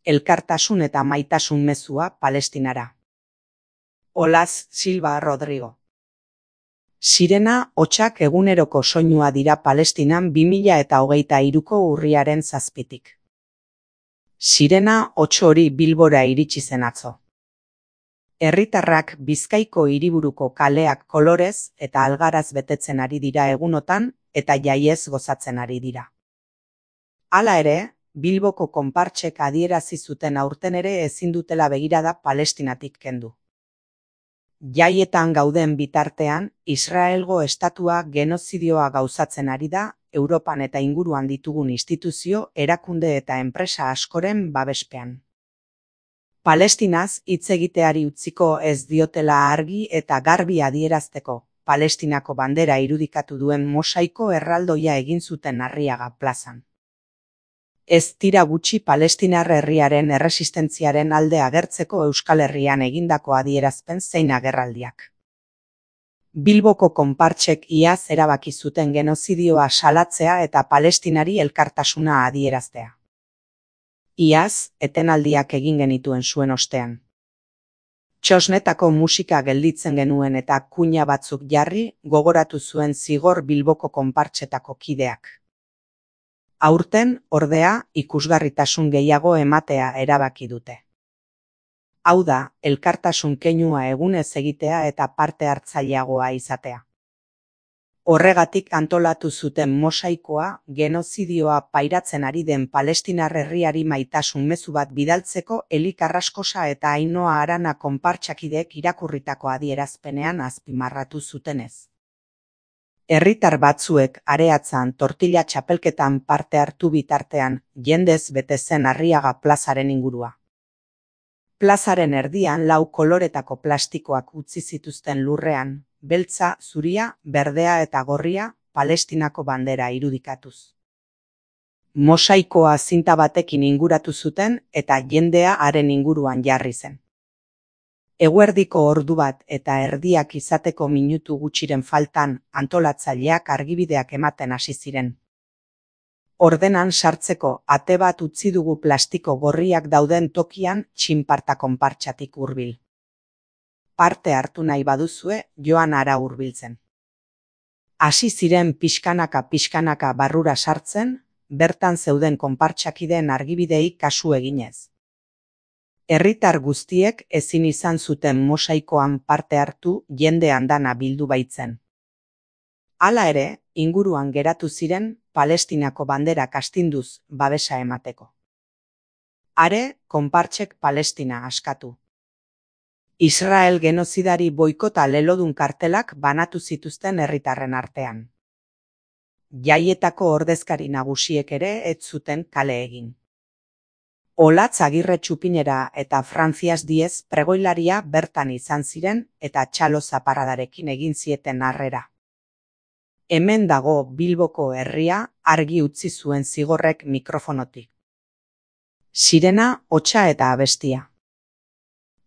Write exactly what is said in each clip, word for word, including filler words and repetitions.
Elkartasun eta maitasun mezua Palestinara. Olaz Silva Rodrigo. Sirena hotsak eguneroko soinua dira Palestinan bi mila eta hogeita hiruko urriaren zazpitik. Sirena hots hori Bilbora iritsi zen atzo. Herritarrak Bizkaiko hiriburuko kaleak kolorez eta algaraz betetzen ari dira egunotan eta jaiez gozatzen ari dira. Hala ere, Bilboko konpartsek adierazi zuten aurten ere ezin dutela begirada Palestinatik kendu. Jaietan gauden bitartean, Israelgo estatua genozidioa gauzatzen ari da, Europan eta inguruan ditugun instituzio, erakunde eta enpresa askoren babespean. Palestinaz hitz egiteari utziko ez diotela argi eta garbi adierazteko, Palestinako bandera irudikatu duen mosaiko erraldoia egin zuten Arriaga plazan. Ez dira gutxi Palestinar herriaren erresistentziaren alde agertzeko Euskal Herrian egindako adierazpen zein agerraldiak. Bilboko konpartsek iaz erabaki zuten genozidioa salatzea eta Palestinari elkartasuna adieraztea. Iaz, etenaldiak egin genituen zuen ostean. Txosnetako musika gelditzen genuen eta kuina batzuk jarri gogoratu zuen zigor Bilboko konpartsetako kideak. Aurten, ordea, ikusgarritasun gehiago ematea erabaki dute. Hau da, elkartasun keinua egunez egitea eta parte hartzaileagoa izatea. Horregatik antolatu zuten mosaikoa, genozidioa pairatzen ari den Palestinar herriari maitasun mezu bat bidaltzeko Eli Carrascosa eta Ainhoa Arana konpartsakideek irakurritako adierazpenean azpimarratu zutenez. Herritar batzuek areatzan tortilla txapelketan parte hartu bitartean, jendez bete zen Arriaga plazaren ingurua. Plazaren erdian lau koloretako plastikoak utzi zituzten lurrean, beltza, zuria, berdea eta gorria, Palestinako bandera irudikatuz. Mosaikoa zinta batekin inguratu zuten eta jendea haren inguruan jarri zen. Eguerdiko ordu bat eta erdiak izateko minutu gutxiren faltan antolatzaileak argibideak ematen hasi ziren. Ordenan sartzeko ate bat utzi dugu plastiko gorriak dauden tokian txinparta konpartsatik hurbil. Parte hartu nahi baduzue joan hara hurbiltzen. Hasi ziren pixkanaka pixkanaka barrura sartzen, bertan zeuden konpartsakideen argibideei kasu eginez. Herritar guztiek ezin izan zuten mosaikoan parte hartu jende andana bildu baitzen. Hala ere, inguruan geratu ziren Palestinako banderak astinduz babesa emateko. Are, konpartsek Palestina askatu. Israel genozidari boikota lelodun kartelak banatu zituzten herritarren artean. Jaietako ordezkari nagusiek ere ez zuten kale egin. Olatz Agirre Txupinera eta Frantzias Diez pregoilaria bertan izan ziren eta txalo zaparradarekin egin zieten harrera. Hemen dago Bilboko herria argi utzi zuen zigorrek mikrofonotik. Sirena hotsa eta abestia.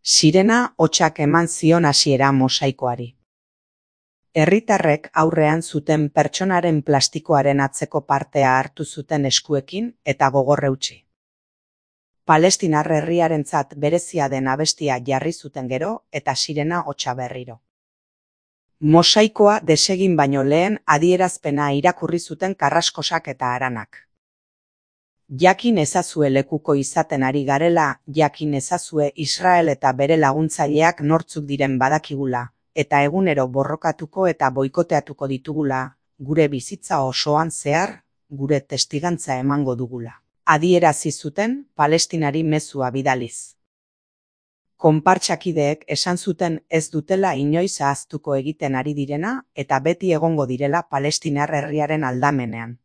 Sirena hotsak eman zion hasiera mosaikoari. Herritarrek aurrean zuten pertsonaren plastikoaren atzeko partea hartu zuten eskuekin eta gogor eutsi. Palestinar herriarentzat berezia den abestia jarri zuten gero eta sirena hotsa berriro. Mosaikoa desegin baino lehen adierazpena irakurri zuten Carrascosak eta Aranak. Jakin ezazue lekuko izaten ari garela, jakin ezazue Israel eta bere laguntzaileak nortzuk diren badakigula, eta egunero borrokatuko eta boikoteatuko ditugula, gure bizitza osoan zehar, gure testigantza emango dugula. Adierazi zuten Palestinari mezua bidaliz. Konpartsakideek esan zuten ez dutela inoiz ahaztuko egiten ari direna eta beti egongo direla Palestinar herriaren aldamenean.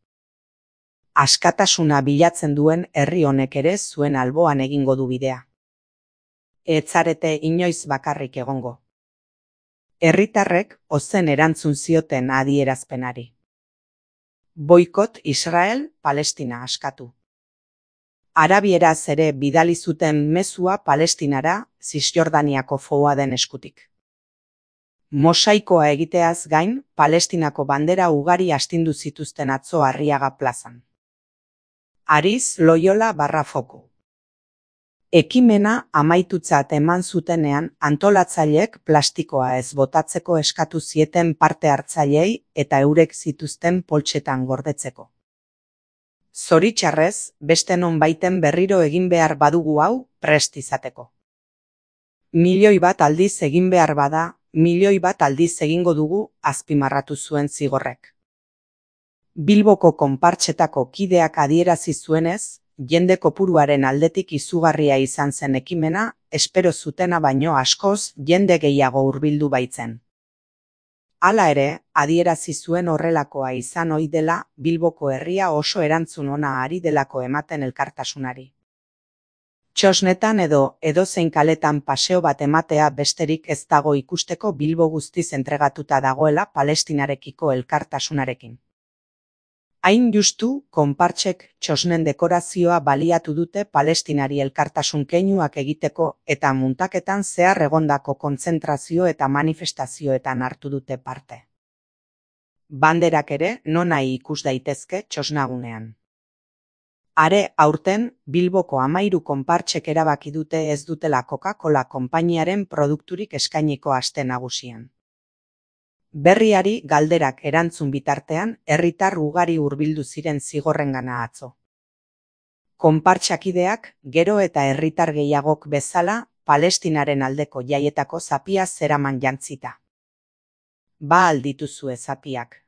Askatasuna bilatzen duen herri honek ere zuen alboan egingo du bidea. Ez zarete inoiz bakarrik egongo. Herritarrek ozen erantzun zioten adierazpenari. Boikot Israel, Palestina askatu. Arabieraz ere bidali zuten mezua Palestinara, Zisjordaniako Fouaden eskutik. Mosaikoa egiteaz gain, Palestinako bandera ugari astindu zituzten atzo Arriaga plazan. Ariz Loyola barra Foku. Ekimena amaitutzat eman zutenean antolatzaileek plastikoa ez botatzeko eskatu zieten parte hartzaileei eta eurek zituzten poltsetan gordetzeko. Zoritxarrez, beste nonbaiten berriro egin behar badugu hau prest izateko. Milioi bat aldiz egin behar bada, milioi bat aldiz egingo dugu, azpimarratu zuen Zigorrek. Bilboko konpartsetako kideak adierazi zuenez, jende kopuruaren aldetik izugarria izan zen ekimena, espero zutena baino askoz jende gehiago hurbildu baitzen. Hala ere, adierazi zuen horrelakoa izan ohi dela, Bilboko herria oso erantzun ona ari delako ematen elkartasunari. Txosnetan edo edozein kaletan paseo bat ematea besterik ez dago ikusteko Bilbo guztiz entregatuta dagoela Palestinarekiko elkartasunarekin. Hain justu, konpartsek txosnen dekorazioa baliatu dute Palestinari elkartasun keinuak egiteko eta muntaketan zehar egondako kontzentrazio eta manifestazioetan hartu dute parte. Banderak ere nonahi ikus daitezke txosnagunean. Are aurten, Bilboko hamairu konpartsek erabaki dute ez dutela Coca-Cola konpainiaren produkturik eskainiko aste nagusian. Berriari galderak erantzun bitartean, herritar ugari hurbildu ziren Zigorrengana atzo. Konpartsakideak, gero eta herritar gehiagok bezala, Palestinaren aldeko jaietako zapia zeraman jantzita. Ba al dituzue zapiak.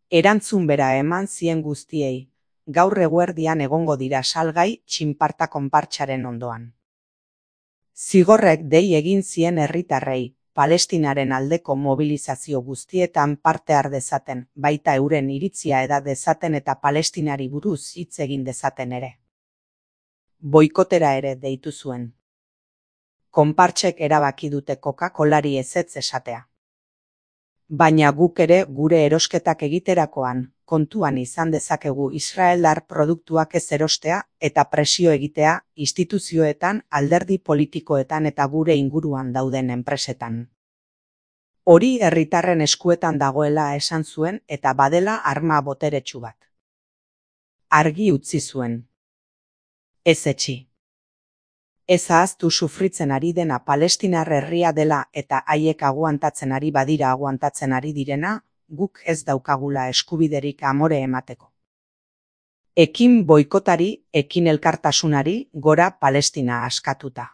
Erantzun bera eman zien guztiei, gaur eguerdian egongo dira salgai txinparta konpartsaren ondoan. Zigorrek dei egin zien herritarrei, Palestinaren aldeko mobilizazio guztietan parte har dezaten, baita euren iritzia eda dezaten eta Palestinari buruz hitz egin dezaten ere. Boikotera ere deitu zuen. Konpartsek erabaki dute Coca-Colari ezetz esatea. Baina guk ere gure erosketak egiterakoan, kontuan izan dezakegu israeldar produktuak ez erostea eta presio egitea instituzioetan, alderdi politikoetan eta gure inguruan dauden enpresetan. Hori herritarren eskuetan dagoela esan zuen eta badela arma boteretsu bat. Argi utzi zuen. Ez etxi. Ez ahaztu sufritzen ari dena Palestinar herria dela eta haiek aguantatzen ari badira aguantatzen ari direna, guk ez daukagula eskubiderik amore emateko. Ekin boikotari, ekin elkartasunari, gora Palestina askatuta.